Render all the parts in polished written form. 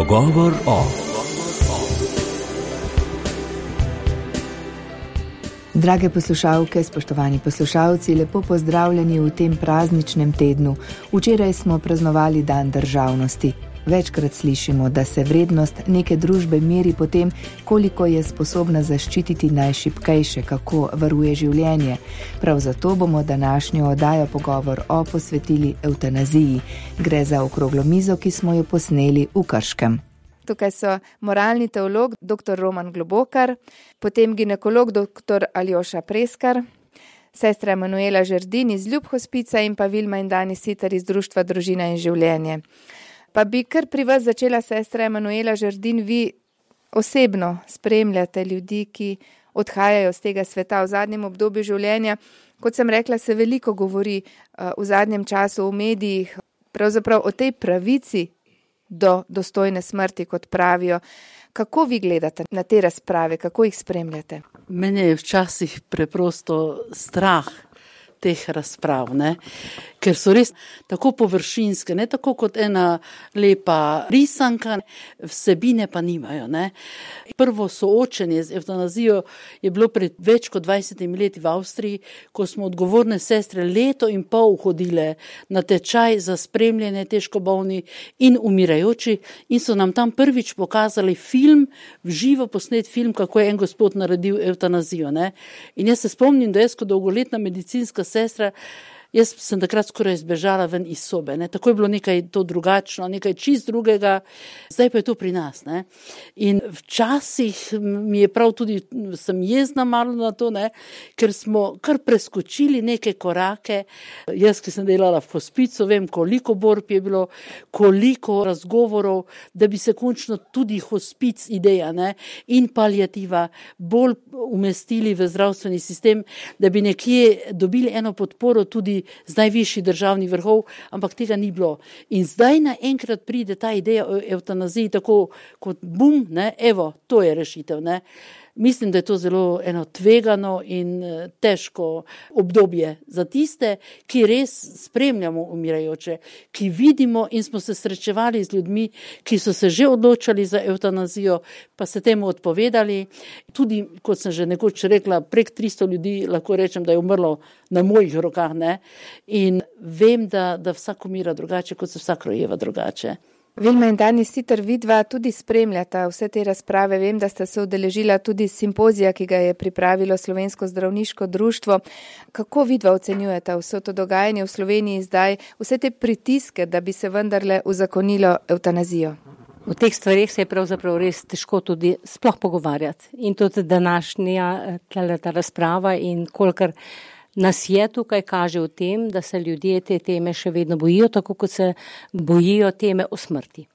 Pogovor o. Drage poslušalke, spoštovani poslušalci, lepo pozdravljeni v tem prazničnem tednu. Včeraj smo praznovali Dan državnosti. Večkrat slišimo, da se vrednost neke družbe meri po tem, koliko je sposobna zaščititi najšibkejše, kako varuje življenje. Prav zato bomo današnjo oddajo Pogovor o posvetili evtanaziji. Gre za okroglo mizo, ki smo jo posneli v Krškem. Tukaj so moralni teolog dr. Roman Globokar, potem ginekolog dr. Aljoša Preskar, sestra Emanuela Žerdin iz Ljub hospica in pa Vilma in Dani Sitar iz Društva Družina in življenje. Pa bi kar pri vas začela, sestra Emanuela Žerdin, vi osebno spremljate ljudi, ki odhajajo z tega sveta v zadnjem obdobju življenja. Kot sem rekla, se veliko govori v zadnjem času v medijih, pravzaprav o tej pravici do dostojne smrti, kot pravijo. Kako vi gledate na te razprave, kako jih spremljate? Mene je včasih preprosto strah teh razprav, ker so res tako površinske, ne tako kot ena lepa risanka, vsebine pa nimajo. Prvo soočenje z evtanazijo je bilo pred več kot 20 leti v Avstriji, ko smo odgovorne sestre leto in pol hodile na tečaj za spremljanje težko bolni in umirajoči in so nam tam prvič pokazali film, v živo posnet film, kako je en gospod naredil evtanazijo. In jaz se spomnim, da jaz kot dolgoletna medicinska sestra, jaz sem takrat skoraj zbežala ven iz sobe. Tako je bilo nekaj to drugačno, nekaj čist drugega, zdaj pa je to pri nas. In včasih mi je prav tudi, sem jezna malo na to, ker smo kar preskočili neke korake. Jaz, ki sem delala v hospicu, vem, koliko borb je bilo, koliko razgovorov, da bi se končno tudi hospic ideja in paliativa bolj umestili v zdravstveni sistem, da bi nekje dobili eno podporo tudi z najvišjih državnih vrhov, ampak tega ni bilo. In zdaj naenkrat pride ta ideja o evtanaziji tako kot bum, evo, to je rešitev. Mislim, da je to zelo eno tvegano in težko obdobje za tiste, ki res spremljamo umirajoče, ki vidimo in smo se srečevali z ljudmi, ki so se že odločali za evtanazijo, pa se temu odpovedali. Tudi, kot sem že nekoč rekla, prek 300 ljudi lahko rečem, da je umrlo na mojih rokah. In vem, da vsak umira drugače, kot se vsak rojeva drugače. Vilma in Dani Sitar, vidva tudi spremljata vse te razprave. Vem, da sta se udeležila tudi simpozija, ki ga je pripravilo Slovensko zdravniško društvo. Kako vidva ocenjujete vse to dogajanje v Sloveniji zdaj, vse te pritiske, da bi se vendarle uzakonilo evtanazijo? V teh stvarih se je pravzaprav res težko tudi sploh pogovarjati. In tudi današnja ta razprava in kolikor nas je tukaj kaže v tem, da se ljudje te teme še vedno bojijo, tako kot se bojijo teme o smrti.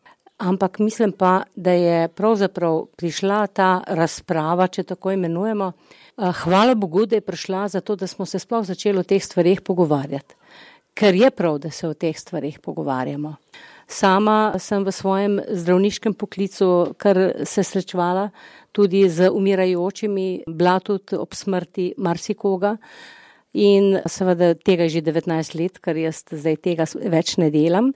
Ampak mislim pa, da je pravzaprav prišla ta razprava, če tako imenujemo. Hvala Bogu, da je prišla zato, da smo se sploh začeli o teh stvarih pogovarjati. Ker je prav, da se o teh stvarih pogovarjamo. Sama sem v svojem zdravniškem poklicu kar se srečevala tudi z umirajočimi, bila tudi ob smrti marsikoga. In seveda tega je že 19 let, ker jaz zdaj tega več ne delam.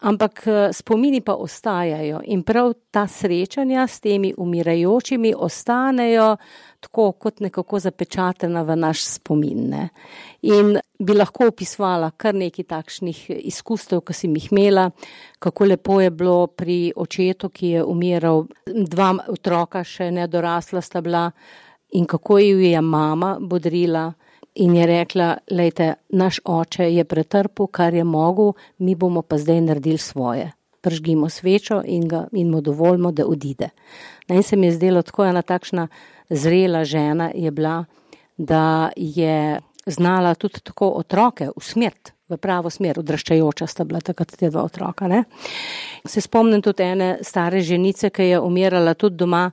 Ampak spomini pa ostajajo in prav ta srečanja s temi umirajočimi ostanejo tako kot nekako zapečatena v naš spomin. In bi lahko opisovala kar nekaj takšnih izkustev, ki sem jih imela, kako lepo je bilo pri očetu, ki je umiral, 2 otroka še nedorasla sta bila in kako ju je mama bodrila. In je rekla, lejte, naš oče je pretrpel, kar je mogel, mi bomo pa zdaj naredili svoje. Pržgimo svečo in mu dovolimo, da odide. In se mi je zdelo, tako ena takšna zrela žena je bila, da je znala tudi tako otroke usmeriti v pravo smer, odraščajoča sta bila takrat te 2 otroka. Se spomnim tudi ene stare ženice, ki je umirala tudi doma,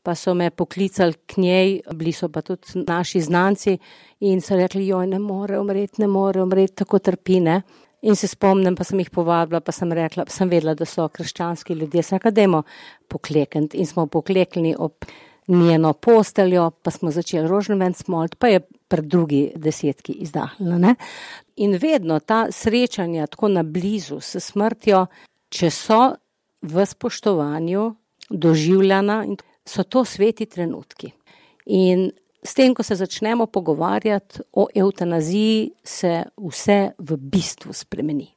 pa so me poklicali k njej, bili so pa tudi naši znanci in so rekli, joj, ne more umreti, tako trpi, In se spomnim, pa sem jih povabila, pa sem rekla, sem vedela, da so krščanski ljudje, sem rekla, dajmo poklekniti in smo pokleknili ob njeno posteljo, pa smo začeli rožnovenc moliti, pa je pred 2 izdahnila. In vedno ta srečanja tako na blizu s smrtjo, če so v spoštovanju doživljana in so to sveti trenutki. In s tem, ko se začnemo pogovarjati o evtanaziji, se vse v bistvu spremeni.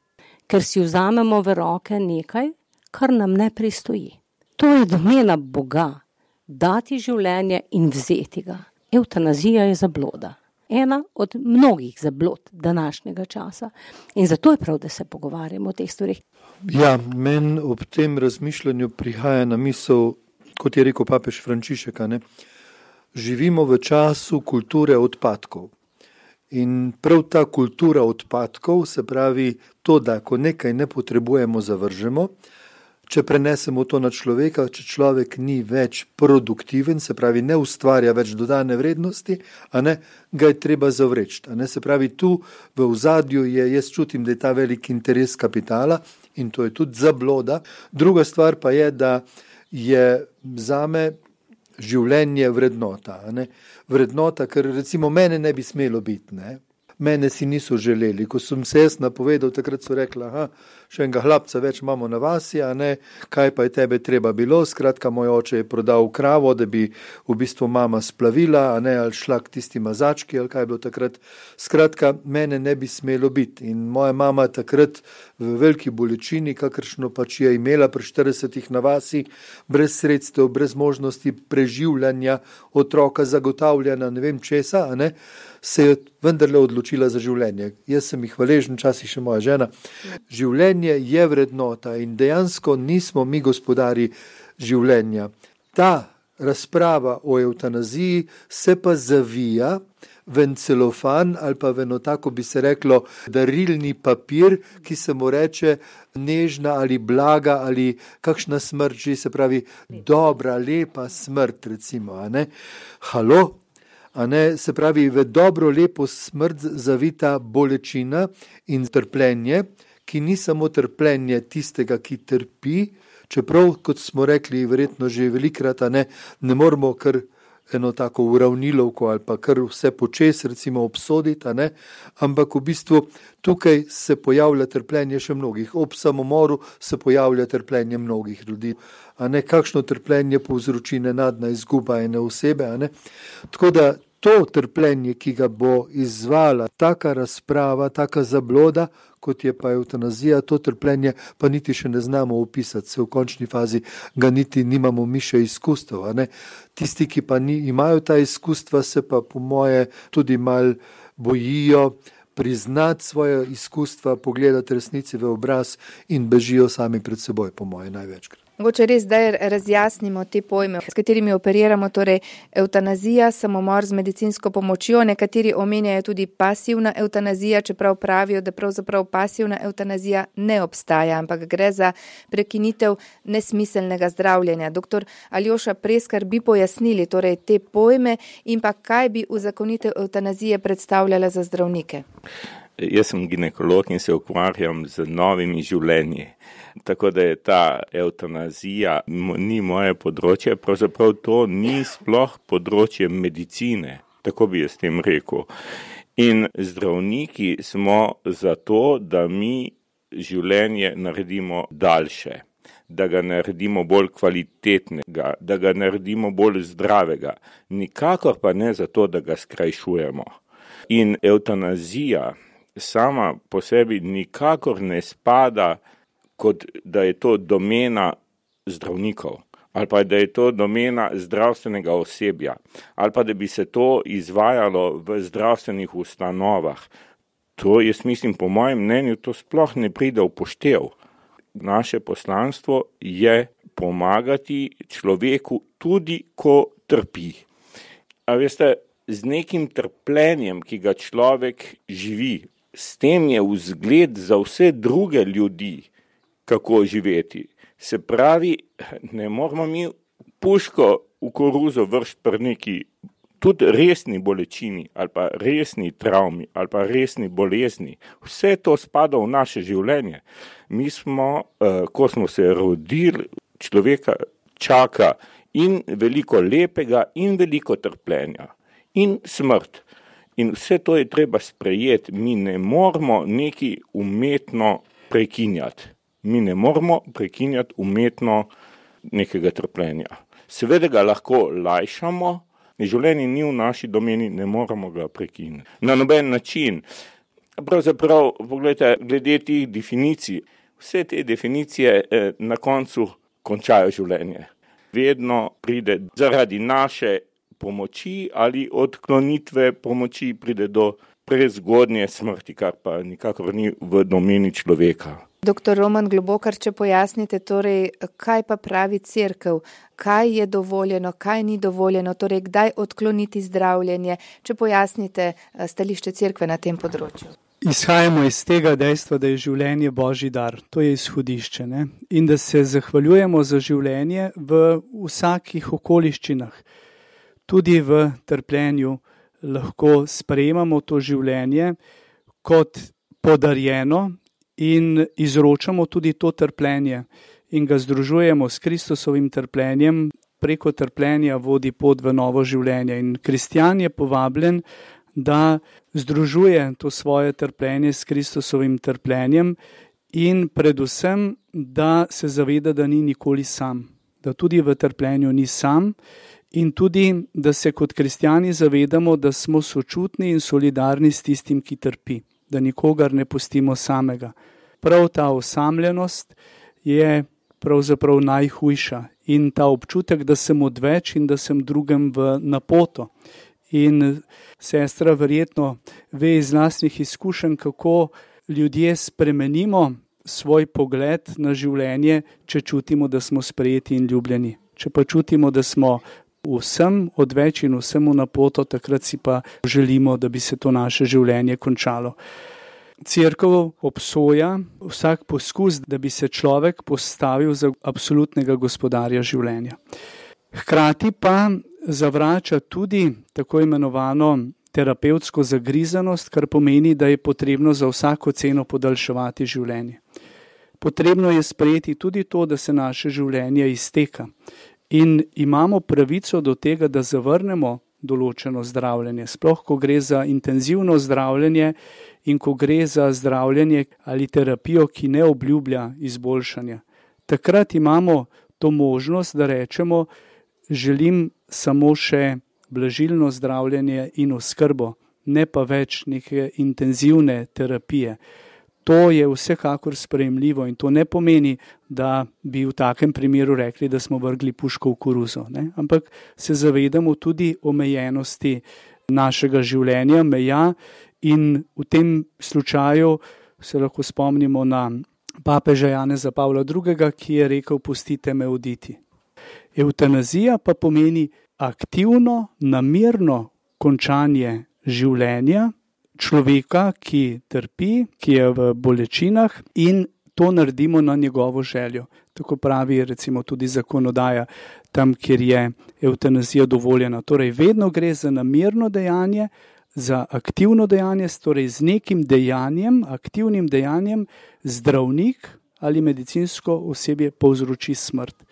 Ker si vzamemo v roke nekaj, kar nam ne pristoji. To je domena Boga, dati življenje in vzeti ga. Evtanazija je zabloda. Ena od mnogih zablod današnjega časa. In zato je prav, da se pogovarjamo o teh stvarih. Ja, meni ob tem razmišljanju prihaja na misel, kot je rekel papež Frančišek, živimo v času kulture odpadkov. In prav ta kultura odpadkov, se pravi to, da ko nekaj ne potrebujemo, zavržemo, če prenesemo to na človeka, če človek ni več produktiven, se pravi ne ustvarja več dodane vrednosti, ga je treba zavreči. Se pravi tu v ozadju jaz čutim, da je ta velik interes kapitala in to je tudi zabloda. Druga stvar pa je, da je zame življenje vrednota. Vrednota, ker recimo mene ne bi smelo biti. Mene si niso želeli. Ko sem se jaz napovedal, takrat so rekli, še enega hlapca več imamo na vasi, kaj pa je tebe treba bilo. Skratka, moj oče je prodal kravo, da bi v bistvu mama splavila, ali šla k tisti mazački, ali kaj je bilo takrat. Skratka, mene ne bi smelo biti. In moja mama takrat v veliki bolečini, kakršno pač je imela pri 40 na vasi, brez sredstev, brez možnosti preživljanja otroka, zagotavljanja, ne vem česa, se je vendarle odločila za življenje. Jaz sem jih hvaležen, včasih še moja žena. Življenje je vrednota in dejansko nismo mi gospodari življenja. Ta razprava o evtanaziji se pa zavija v en celofan ali pa v eno tako bi se reklo darilni papir, ki se mu reče nežna ali blaga ali kakšna smrt že, se pravi dobra, lepa smrt recimo. Halo? Se pravi, v dobro, lepo smrt zavita bolečina in trpljenje, ki ni samo trpljenje tistega, ki trpi, čeprav, kot smo rekli, verjetno že velikrat, ne moramo kar eno tako uravnilovko ali pa kar vse počes, recimo obsoditi, ampak v bistvu tukaj se pojavlja trpljenje še mnogih. Ob samomoru se pojavlja trpljenje mnogih ljudi. Kakšno trpljenje povzroči nenadna izguba ene osebe. Tako da to trpljenje, ki ga bo izzvala taka razprava, taka zabloda, kot je pa evtanazija, to trpljenje pa niti še ne znamo opisati, se v končni fazi ga niti nimamo mi še izkustev. Tisti, ki pa imajo ta izkustva, se pa po moje tudi mal bojijo priznati svoje izkustva, pogledati resnici v obraz in bežijo sami pred seboj, po moje največkrat. Mogoče res zdaj razjasnimo te pojme, s katerimi operiramo, torej evtanazija, samomor z medicinsko pomočjo, nekateri omenjajo tudi pasivna evtanazija, čeprav pravijo, da pravzaprav pasivna evtanazija ne obstaja, ampak gre za prekinitev nesmiselnega zdravljenja. Doktor Aljoša Preskar, bi pojasnili torej te pojme in pa kaj bi uzakonitev evtanazije predstavljala za zdravnike? Jaz sem ginekolog in se ukvarjam z novimi življenji. Tako da je ta evtanazija ni moje področje, pravzaprav to ni sploh področje medicine, tako bi jaz tem rekel. In zdravniki smo zato, da mi življenje naredimo daljše, da ga naredimo bolj kvalitetnega, da ga naredimo bolj zdravega, nikakor pa ne zato, da ga skrajšujemo. In evtanazija sama po sebi nikakor ne spada, kot da je to domena zdravnikov, ali pa da je to domena zdravstvenega osebja, ali pa da bi se to izvajalo v zdravstvenih ustanovah. To, jaz mislim, po mojem mnenju, to sploh ne pride v poštev. Naše poslanstvo je pomagati človeku tudi, ko trpi. A veste, z nekim trpljenjem, ki ga človek živi, s tem je vzgled za vse druge ljudi, kako živeti. Se pravi, ne moramo mi puško v koruzo vršiti pri neki tudi resni bolečini, ali pa resni travmi, ali pa resni bolezni. Vse to spada v naše življenje. Mi smo, ko smo se rodili, človeka čaka in veliko lepega, in veliko trpljenja, in smrt. In vse to je treba sprejeti. Mi ne moramo neki umetno prekinjati. Mi ne moramo prekinjati umetno nekega trpljenja. Seveda ga lahko lajšamo, življenje ni v naši domeni, ne moramo ga prekiniti. Na noben način. Pravzaprav, pogledajte, glede tih definicij, vse te definicije na koncu končajo življenje. Vedno pride zaradi naše pomoči ali odklonitve pomoči pride do prezgodnje smrti, kar pa nikakor ni v domeni človeka. Doktor Roman Globokar, če pojasnite, torej, kaj pa pravi cerkev, kaj je dovoljeno, kaj ni dovoljeno, torej kdaj odkloniti zdravljenje, če pojasnite stališče cerkve na tem področju. Izhajamo iz tega dejstva, da je življenje Božji dar, to je izhodišče, ne? In da se zahvaljujemo za življenje v vsakih okoliščinah. Tudi v trpljenju lahko sprejemamo to življenje kot podarjeno in izročamo tudi to trpljenje in ga združujemo s Kristusovim trpljenjem. Preko trpljenja vodi pot v novo življenje in kristjan je povabljen, da združuje to svoje trpljenje s Kristusovim trpljenjem in predvsem, da se zaveda, da ni nikoli sam, da tudi v trpljenju ni sam in tudi, da se kot kristjani zavedamo, da smo sočutni in solidarni s tistim, ki trpi, da nikogar ne pustimo samega. Prav ta osamljenost je pravzaprav najhujša in ta občutek, da sem odveč in da sem drugem v napoto. In sestra verjetno ve iz lastnih izkušenj, kako ljudje spremenimo svoj pogled na življenje, če čutimo, da smo sprejeti in ljubljeni. Če pa čutimo, da smo vsem odveč in vsem v napoto, takrat si pa želimo, da bi se to naše življenje končalo. Cerkev obsoja vsak poskus, da bi se človek postavil za absolutnega gospodarja življenja. Hkrati pa zavrača tudi tako imenovano terapevtsko zagrizanost, kar pomeni, da je potrebno za vsako ceno podaljševati življenje. Potrebno je sprejeti tudi to, da se naše življenje izteka in imamo pravico do tega, da zavrnemo določeno zdravljenje, sploh ko gre za intenzivno zdravljenje in ko gre za zdravljenje ali terapijo, ki ne obljublja izboljšanja. Takrat imamo to možnost, da rečemo, želim samo še blažilno zdravljenje in oskrbo, ne pa več neke intenzivne terapije. To je vsekakor sprejemljivo in to ne pomeni, da bi v takem primeru rekli, da smo vrgli puško v koruzo, ne? Ampak se zavedamo tudi omejenosti našega življenja, meja in v tem slučaju se lahko spomnimo na papeža Janeza Pavla II., ki je rekel, pustite me oditi. Evtanazija pa pomeni aktivno, namerno končanje življenja človeka, ki trpi, ki je v bolečinah in to naredimo na njegovo željo. Tako pravi recimo tudi zakonodaja tam, kjer je evtanazija dovoljena. Torej vedno gre za namerno dejanje, za aktivno dejanje, torej z nekim dejanjem, aktivnim dejanjem zdravnik ali medicinsko osebje povzroči smrt.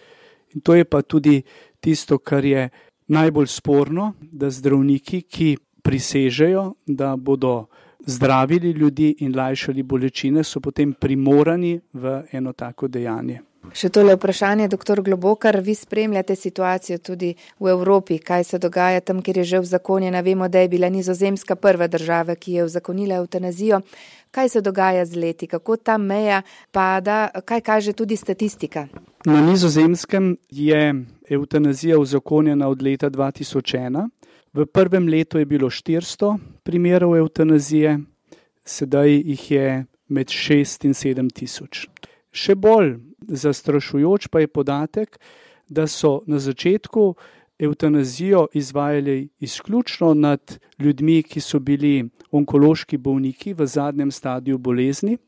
In to je pa tudi tisto, kar je najbolj sporno, da zdravniki, ki prisežejo, da bodo zdravili ljudi in lajšali bolečine, so potem primorani v eno tako dejanje. Še tole vprašanje, doktor Globokar, vi spremljate situacijo tudi v Evropi, kaj se dogaja tam, kjer je že uzakonjena. Vemo, da je bila Nizozemska prva država, ki je uzakonila evtanazijo. Kaj se dogaja z leti, kako ta meja pada, kaj kaže tudi statistika? Na Nizozemskem je evtanazija uzakonjena od leta 2001. V prvem letu je bilo 400 primerov evtanazije, sedaj jih je med 6 in 7 tisoč. Še bolj zastrašujoč pa je podatek, da so na začetku evtanazijo izvajali izključno nad ljudmi, ki so bili onkološki bolniki v zadnjem stadiju bolezni.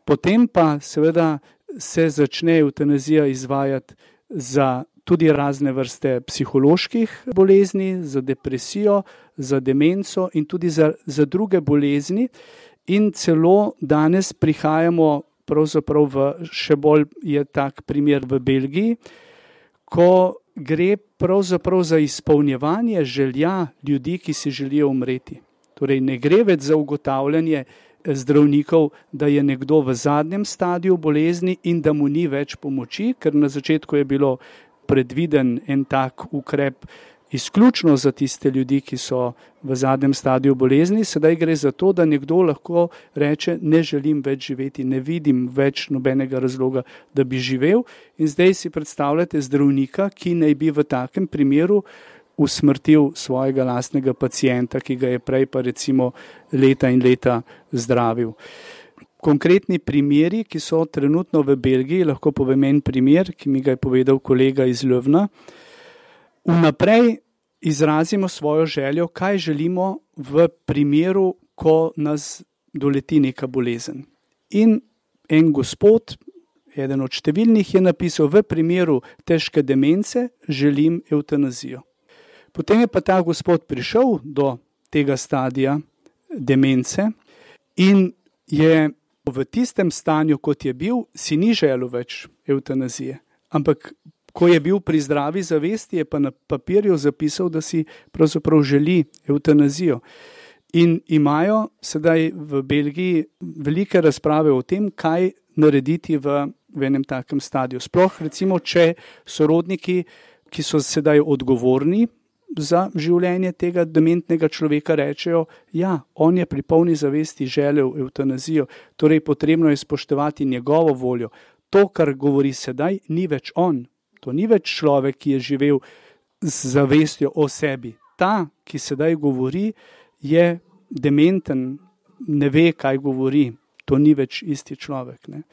Potem pa seveda se začne evtanazija izvajati za tudi razne vrste psiholoških bolezni, za depresijo, za demenco in tudi za druge bolezni. In celo danes prihajamo pravzaprav v še bolj je tak primer v Belgiji, ko gre pravzaprav za izpolnjevanje želja ljudi, ki si želijo umreti. Torej ne gre več za ugotavljanje zdravnikov, da je nekdo v zadnjem stadiju bolezni in da mu ni več pomoči, ker na začetku je bilo predviden en tak ukrep izključno za tiste ljudi, ki so v zadnjem stadiju bolezni. Sedaj gre za to, da nekdo lahko reče, ne želim več živeti, ne vidim več nobenega razloga, da bi živel. In zdaj si predstavljate zdravnika, ki naj bi v takem primeru usmrtil svojega lastnega pacienta, ki ga je prej pa recimo leta in leta zdravil. Konkretni primeri, ki so trenutno v Belgiji, lahko povem en primer, ki mi ga je povedal kolega iz Ljubna. Vnaprej izrazimo svojo željo, kaj želimo v primeru, ko nas doleti neka bolezen. In en gospod, eden od številnih, je napisal, v primeru težke demence želim evtanazijo. Potem je pa ta gospod prišel do tega stadija demence in je v tistem stanju, kot je bil, si ni želel več evtanazije. Ampak ko je bil pri zdravi zavesti, je pa na papirju zapisal, da si pravzaprav želi evtanazijo. In imajo sedaj v Belgiji velike razprave o tem, kaj narediti v enem takem stadiju. Sploh recimo, če sorodniki, ki so sedaj odgovorni za življenje tega dementnega človeka, rečejo, ja, on je pri polni zavesti želel evtanazijo, torej potrebno je spoštovati njegovo voljo. To, kar govori sedaj, ni več on. To ni več človek, ki je živel z zavestjo o sebi. Ta, ki sedaj govori, je dementen, ne ve, kaj govori. To ni več isti človek. Ne?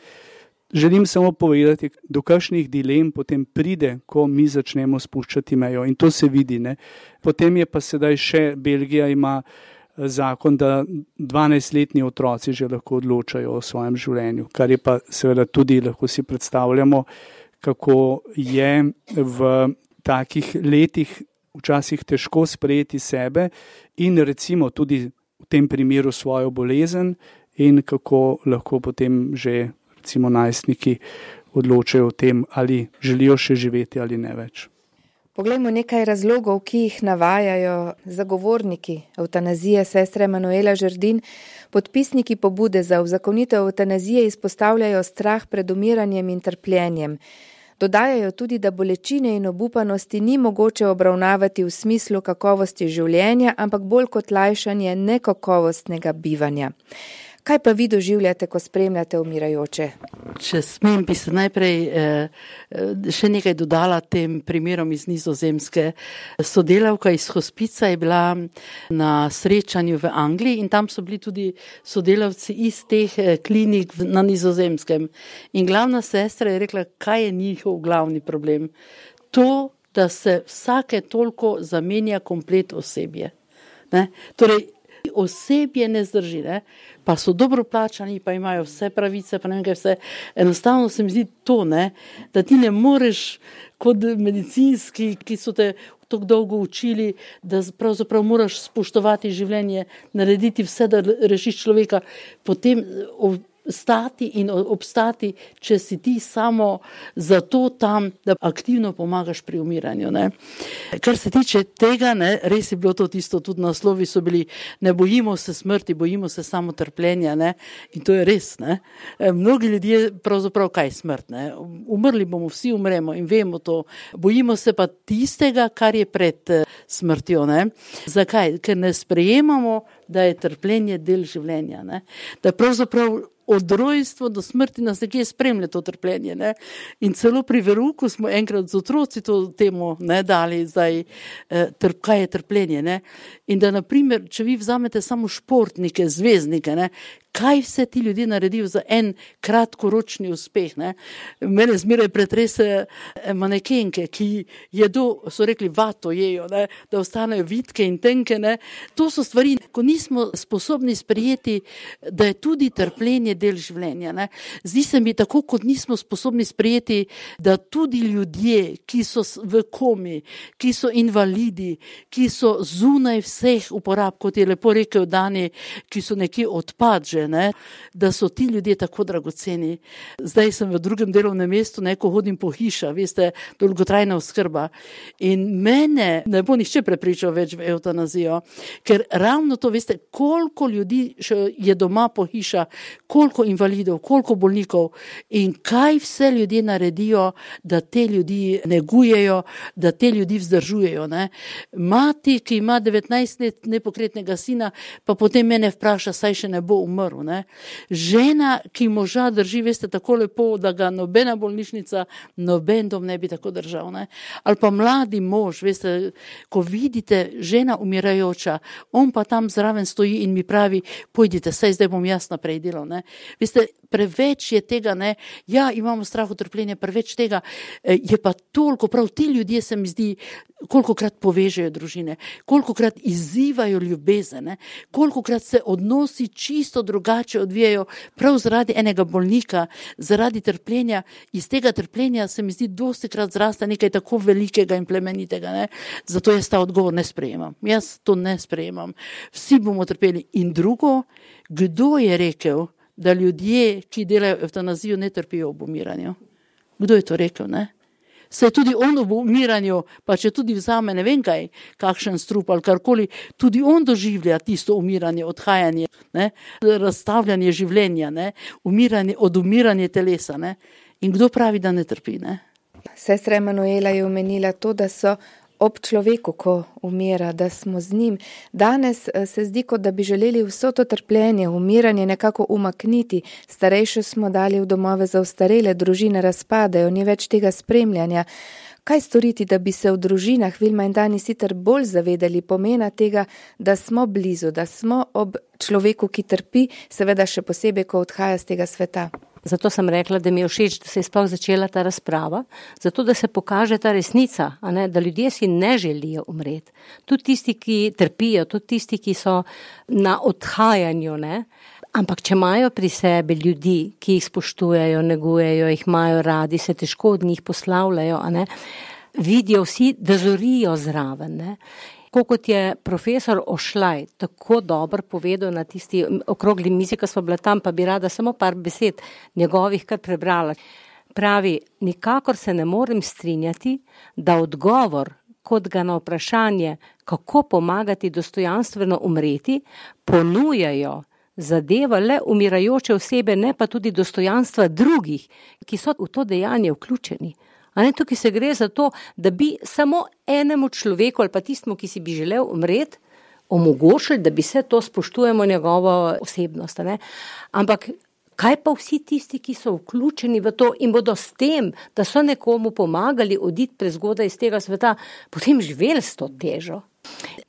Želim samo povedati, do kakšnih dilem potem pride, ko mi začnemo spuščati mejo. In to se vidi. Ne? Potem je pa sedaj še, Belgija ima zakon, da 12-letni otroci že lahko odločajo o svojem življenju, kar je pa seveda tudi, lahko si predstavljamo, kako je v takih letih včasih težko sprejeti sebe in recimo tudi v tem primeru svojo bolezen in kako lahko potem že recimo najstniki odločajo o tem, ali želijo še živeti ali ne več. Poglejmo nekaj razlogov, ki jih navajajo zagovorniki evtanazije, sestra Emanuela Žerdin. Podpisniki pobude za uzakonitev evtanazije izpostavljajo strah pred umiranjem in trpljenjem. Dodajajo tudi, da bolečine in obupanosti ni mogoče obravnavati v smislu kakovosti življenja, ampak bolj kot lajšanje nekakovostnega bivanja. Kaj pa vi doživljate, ko spremljate umirajoče? Če smem, bi se najprej še nekaj dodala tem primerom iz Nizozemske. Sodelavka iz hospica je bila na srečanju v Angliji in tam so bili tudi sodelavci iz teh klinik na Nizozemskem. In glavna sestra je rekla, kaj je njihov glavni problem. To, da se vsake toliko zamenja komplet osebje. Ne? Torej, osebje ne zdrži, ne? Pa so dobro plačani, pa imajo vse pravice, pa ne vem kaj vse. Enostavno se mi zdi to, ne? Da ti ne moreš kot medicinski, ki so te tako dolgo učili, da pravzaprav moraš spoštovati življenje, narediti vse, da rešiš človeka, potem stati in obstati, če si ti samo zato tam, da aktivno pomagaš pri umiranju. Ne. Kar se tiče tega, ne, res je bilo to tisto, tudi naslovi so bili, ne bojimo se smrti, bojimo se samo trpljenja, ne. In to je res. Ne. Mnogi ljudje pravzaprav kaj smrt. Ne. Umrli bomo, vsi umremo in vemo to. Bojimo se pa tistega, kar je pred smrtjo. Ne. Zakaj? Ker ne sprejemamo, da je trpljenje del življenja. Ne. Da pravzaprav od rojstva do smrti nas nekje spremlja to trpljenje. Ne? In celo pri verouku smo enkrat z otroci to temu dali zdaj, kaj je trpljenje. Ne? In da, naprimer, če vi vzamete samo športnike, zvezdnike, ne? Kaj vse ti ljudje naredijo za en kratkoročni uspeh. Ne? Mene zmeraj pretrese manekenke, ki jedo, so rekli, vato jejo, ne? Da ostanejo vitke in tenke. Ne? To so stvari, ko nismo sposobni sprejeti, da je tudi trpljenje del življenja. Ne? Zdi se mi tako, kot nismo sposobni sprejeti, da tudi ljudje, ki so v komi, ki so invalidi, ki so zunaj vseh uporab, kot je lepo rekel Dani, ki so nekje odpad že, kaže, ne, da so ti ljudje tako dragoceni. Zdaj sem v drugem delovnem mestu, ko hodim po hiša, veste, dolgotrajna oskrba. In mene ne bo nihče prepričal več v evtanazijo, ker ravno to, veste, koliko ljudi še je doma po hiša, koliko invalidov, koliko bolnikov in kaj vse ljudje naredijo, da te ljudi negujejo, da te ljudi vzdržujejo. Ne. Mati, ki ima 19 let nepokretnega sina, pa potem mene vpraša, saj še ne bo umrl. Ne. Žena, ki moža drži, veste, tako lepo, da ga nobena bolnišnica, noben dom ne bi tako držal. Ne. Ali pa mladi mož, veste, ko vidite žena umirajoča, on pa tam zraven stoji in mi pravi, pojdite, saj zdaj bom jaz naprej delal. Ne. Veste, preveč je tega, ne, ja, imamo strah od trpljenja, preveč tega, je pa toliko, prav ti ljudje se mi zdi, kolikokrat povežejo družine, kolikokrat izzivajo ljubezen, ne, kolikokrat se odnosi čisto drugače odvijajo, prav zaradi enega bolnika, zaradi trpljenja, iz tega trpljenja se mi zdi dostikrat zrasta nekaj tako velikega in plemenitega, ne, zato jaz ta odgovor ne sprejemam, jaz to ne sprejemam, vsi bomo trpeli. In drugo, kdo je rekel, da ljudje, ki delajo evtanazijo, ne trpijo ob umiranju? Kdo je to rekel, ne? Se tudi on ob umiranju, pa če tudi vzame ne vem kaj, kakšen strup ali karkoli, tudi on doživlja tisto umiranje, odhajanje, ne? Razstavljanje življenja, ne? Od umiranja telesa. Ne? In kdo pravi, da ne trpi? Ne? Sestra Emanuela je omenila to, da so ob človeku, ko umira, da smo z njim. Danes se zdi, kot da bi želeli vso to trpljenje, umiranje nekako umakniti. Starejše smo dali v domove za ostarele, družine razpadajo, ni več tega spremljanja. Kaj storiti, da bi se v družinah Vilma in Dani sicer bolj zavedali pomena tega, da smo blizu, da smo ob človeku, ki trpi, seveda še posebej, ko odhaja z tega sveta? Zato sem rekla, da mi je všeč, da se je sploh začela ta razprava, zato da se pokaže ta resnica, a ne, da ljudje si ne želijo umreti. Tudi tisti, ki trpijo, tudi tisti, ki so na odhajanju, ne. Ampak če imajo pri sebi ljudi, ki jih spoštujejo, negujejo, jih imajo radi, se težko od njih poslavljajo, a ne, vidijo vsi, da zorijo zraven, ne. Kot je profesor Ošlaj tako dobro povedal na tisti okrogli mizi, ko smo bila tam, pa bi rada samo par besed njegovih kar prebrala. Pravi, nikakor se ne morem strinjati, da odgovor, kot ga na vprašanje, kako pomagati dostojanstveno umreti, ponujajo zadeva le umirajoče osebe, ne pa tudi dostojanstva drugih, ki so v to dejanje vključeni. A ne, tukaj se gre za to, da bi samo enemu človeku ali pa tistemu, ki si bi želel umreti, omogočili, da bi se to spoštujemo njegovo osebnost. Ne? Ampak kaj pa vsi tisti, ki so vključeni v to in bodo s tem, da so nekomu pomagali oditi prezgodaj iz tega sveta, potem živeli s to težo.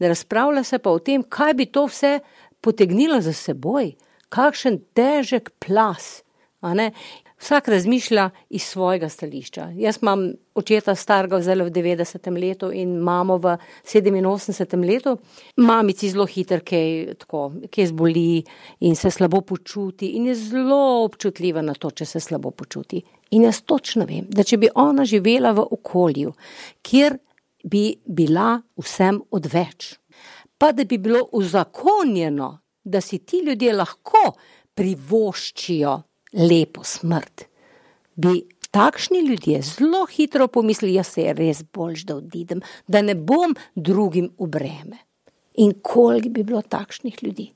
Razpravlja se pa o tem, kaj bi to vse potegnilo za seboj, kakšen težek plas, a ne? Vsak razmišlja iz svojega stališča. Jaz imam očeta starega zdaj v 90. letu in mamo v 87. letu. Mamici zelo hitro kaj zboli in se slabo počuti in je zelo občutljiva na to, če se slabo počuti. In jaz točno vem, da če bi ona živela v okolju, kjer bi bila vsem odveč, pa da bi bilo uzakonjeno, da si ti ljudje lahko privoščijo lepo smrt, bi takšni ljudje zelo hitro pomislili, jaz se je res boljš, da odidem, da ne bom drugim v breme. In koliko bi bilo takšnih ljudi?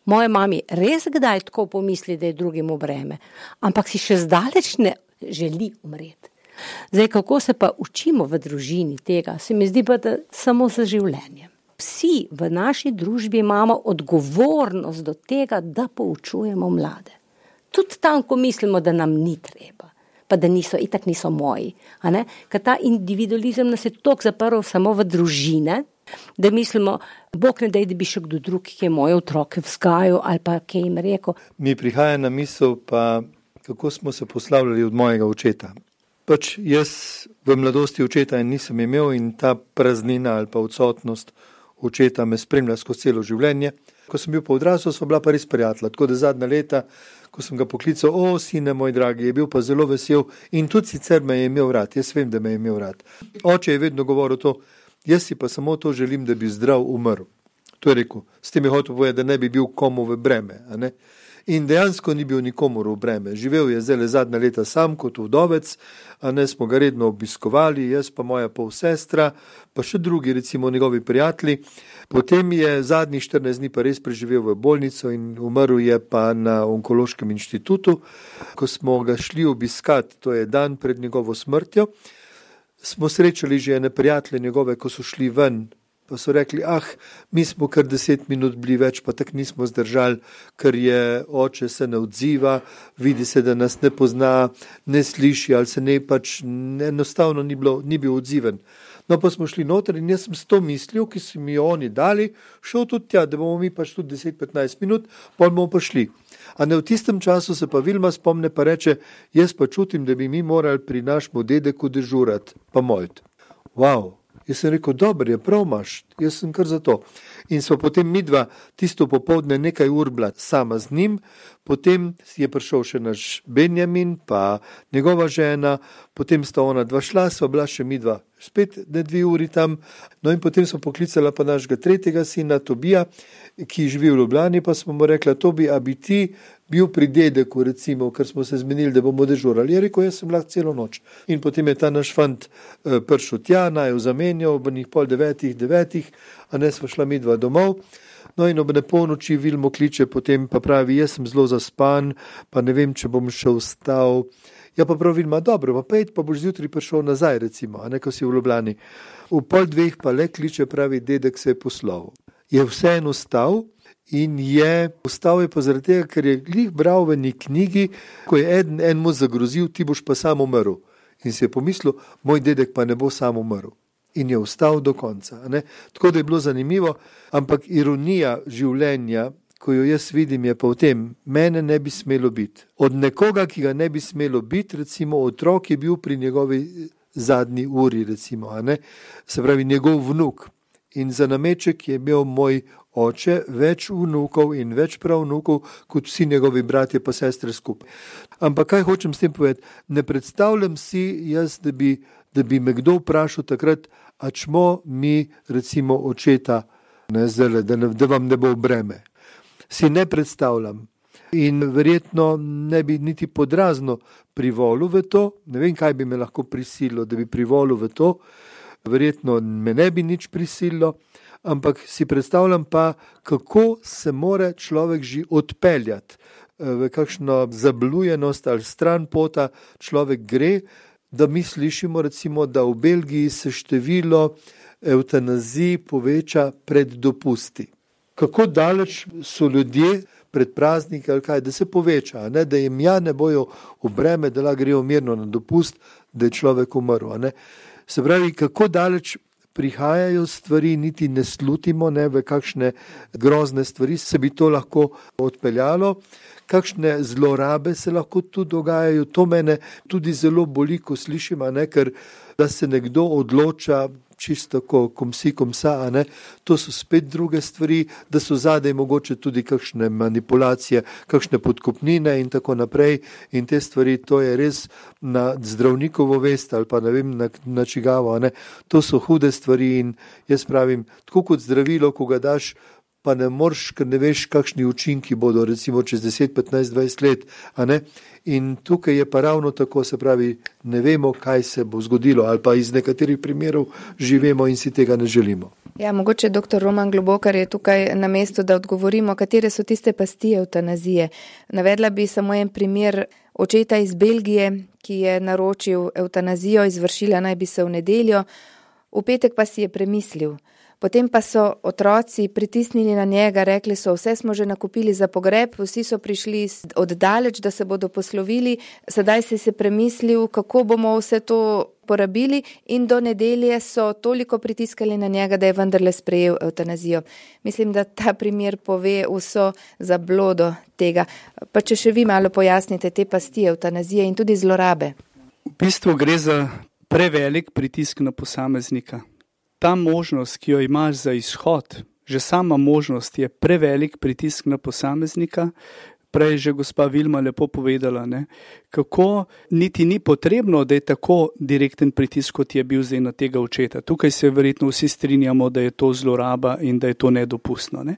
Moja mami res kdaj tako pomisli, da je drugim v breme, ampak si še zdaleč ne želi umreti. Zdaj, kako se pa učimo v družini tega, se mi zdi pa, da samo za življenjem. Vsi v naši družbi imamo odgovornost do tega, da poučujemo mlade. Tudi tam, ko mislimo, da nam ni treba, pa da itak niso moji. A ne? Ker ta individualizem nas je toliko zaprl samo v družine, da mislimo, Bog ne daj, da bi še kdo drug, ki je moje otroke vzgajal ali pa kaj jim rekel. Mi prihaja na misel pa, kako smo se poslavljali od mojega očeta. Pač jaz v mladosti očeta nisem imel in ta praznina ali pa odsotnost očeta me spremlja skozi celo življenje. Ko sem bil pa odrasel, sva bila pa res prijatelja, tako da zadnja leta, ko sem ga poklical, sine moj dragi, je bil pa zelo vesel in tudi sicer me je imel rad, jaz vem, da me je imel rad. Oče je vedno govoril to, jaz si pa samo to želim, da bi zdrav umrl. To je rekel, s tem je hotel povedati, da ne bi bil komu v breme. A ne? In dejansko ni bil nikomur v breme. Živel je zdaj zadnja leta sam kot vdovec, a ne smo ga redno obiskovali, jaz pa moja polsestra, pa še drugi, recimo njegovi prijatelji. Potem je zadnjih 14 dni pa res preživel v bolnico in umrl je pa na onkološkem inštitutu. Ko smo ga šli obiskat, to je dan pred njegovo smrtjo, smo srečali že ene prijatelje njegove, ko so šli ven, pa so rekli, mi smo kar 10 minut bili več, pa tak nismo zdržali, ker je oče se ne odziva, vidi se, da nas ne pozna, ne sliši ali se ne pač enostavno ni bil odziven. No, pa smo šli noter in jaz sem s to mislil, ki so mi jo oni dali, šel tudi tja, da bomo mi pač tudi 10-15 minut, pol bomo pa šli. A ne v tistem času se pa Vilma spomne pa reče, jaz pa čutim, da bi mi morali pri našemu dedeku dežurati, pa molit. Wow. Jaz sem rekel, dobro je, prav imaš, jaz sem kar za to. In smo potem midva tisto popoldne nekaj ur bila sama z njim, potem je prišel še naš Benjamin, pa njegova žena, potem sta ona dva šla, sva bila še midva spet 2 uri tam, no in potem smo poklicala pa našega 3. sina Tobija, ki živi v Ljubljani, pa smo mu rekla, Tobi, a bi ti bil pri dedeku, recimo, ker smo se zmenili, da bomo dežurali. Je rekel, jaz sem lahko celo noč. In potem je ta naš fant prišel tja, naju zamenjal, ob njih 8:30, a ne sva šla midva domov. No in ob nepolnoči Vilmo kliče, potem pa pravi, jaz sem zelo zaspan, pa ne vem, če bom še vstal. Ja pa prav Vilma, dobro, pa pejt, pa boš zjutraj prišel nazaj, recimo, a ne, ko si v Ljubljani. V 1:30 pa le kliče, pravi, dedek se je poslovil. Je vseeno vstal in vstal je pa zaradi tega, ker je glih bral v eni knjigi, ko je enemu zagrozil, ti boš pa sam umrl. In si je pomislil, moj dedek pa ne bo sam umrl. In je vstal do konca. Ne? Tako da je bilo zanimivo, ampak ironija življenja, ko jo jaz vidim, je pa v tem, mene ne bi smelo biti. Od nekoga, ki ga ne bi smelo biti, recimo otrok je bil pri njegovi zadnji uri, recimo, a ne? Se pravi njegov vnuk. In za nameček je imel moj oče več vnukov in več pravnukov, kot vsi njegovi bratje pa sestre skupaj. Ampak kaj hočem s tem povedati? Ne predstavljam si jaz, da bi me kdo vprašal takrat, a čmo mi recimo očeta, ne, zdaj, da vam ne bo breme. Si ne predstavljam. In verjetno ne bi niti podrazno privolil v to, ne vem, kaj bi me lahko prisililo, da bi privolil v to, verjetno me ne bi nič prisililo, ampak si predstavljam pa, kako se mora človek že odpeljati, v kakšno zablujenost ali stran pota človek gre, da mi slišimo recimo, da v Belgiji se število evtanazij poveča pred dopusti. Kako daleč so ljudje pred prazniki ali kaj, da se poveča, ne? Da jim ne bojo v breme, da lahko grejo mirno na dopust, da je človek umrl. Ne? Se pravi, kako daleč prihajajo stvari, niti ne slutimo, ne, v kakšne grozne stvari se bi to lahko odpeljalo, kakšne zlorabe se lahko tu dogajajo. To mene tudi zelo boli, ko slišim, ne, ker da se nekdo odloča čisto kom si, kom sa, ne, to so spet druge stvari, da so zadaj mogoče tudi kakšne manipulacije, kakšne podkupnine in tako naprej. In te stvari, to je res na zdravnikovo vest ali pa ne vem na čigavo, ne. To so hude stvari in jaz pravim, tako kot zdravilo, ko ga daš, pa ne moreš, ker ne veš, kakšni učinki bodo, recimo čez 10, 15, 20 let, a ne. In tukaj je pa ravno tako, se pravi, ne vemo, kaj se bo zgodilo, ali pa iz nekaterih primerov živimo in si tega ne želimo. Ja, mogoče dr. Roman Globokar je tukaj na mestu, da odgovorimo, katere so tiste pasti evtanazije. Navedla bi samo en primer očeta iz Belgije, ki je naročil evtanazijo, izvršila naj bi se v nedeljo, v petek pa si je premislil. Potem pa so otroci pritisnili na njega, rekli so, vse smo že nakupili za pogreb, vsi so prišli oddaleč, da se bodo poslovili, sedaj si se premislil, kako bomo vse to porabili in do nedelje so toliko pritiskali na njega, da je vendarle sprejel evtanazijo. Mislim, da ta primer pove vso zablodo tega. Pa če še vi malo pojasnite te pasti evtanazije in tudi zlorabe. V bistvu gre za prevelik pritisk na posameznika. Ta možnost, ki jo imaš za izhod, že sama možnost je prevelik pritisk na posameznika, prej že gospa Vilma lepo povedala, ne, kako niti ni potrebno, da je tako direkten pritisk, kot je bil zdaj na tega očeta. Tukaj se verjetno vsi strinjamo, da je to zloraba in da je to nedopustno. Ne.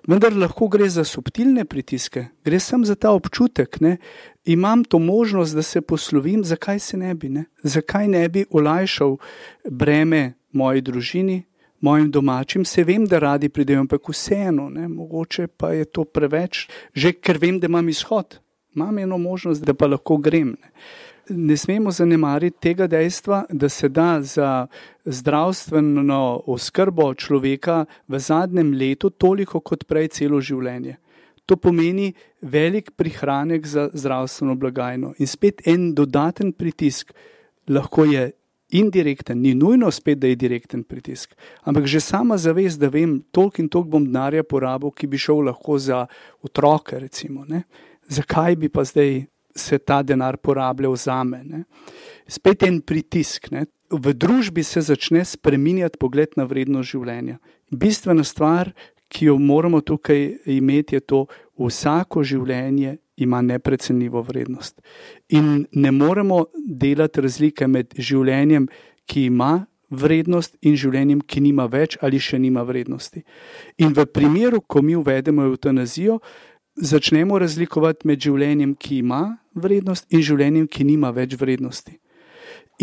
Vendar lahko gre za subtilne pritiske, gre samo za ta občutek. Ne. Imam to možnost, da se poslovim, zakaj se ne bi? Ne? Zakaj ne bi olajšal breme moji družini, mojim domačim? Se vem, da radi pridejo, ampak vseeno, ne? Mogoče pa je to preveč, že ker vem, da imam izhod. Imam eno možnost, da pa lahko grem. Ne smemo zanemariti tega dejstva, da se da za zdravstveno oskrbo človeka v zadnjem letu toliko kot prej celo življenje. To pomeni velik prihranek za zdravstveno blagajno. In spet en dodaten pritisk, lahko je indirekten, ni nujno spet, da je direkten pritisk, ampak že sama zavest, da vem, toliko in toliko bom denarja porabil, ki bi šel lahko za otroke, recimo. Ne? Zakaj bi pa zdaj se ta denar porabljal zame? Ne? Spet en pritisk. Ne? V družbi se začne spreminjati pogled na vrednost življenja. Bistvena stvar, ki jo moramo tukaj imeti, je to, vsako življenje ima neprecenljivo vrednost. In ne moremo delati razlike med življenjem, ki ima vrednost, in življenjem, ki nima več ali še nima vrednosti. In v primeru, ko mi uvedemo evtanazijo, začnemo razlikovati med življenjem, ki ima vrednost, in življenjem, ki nima več vrednosti.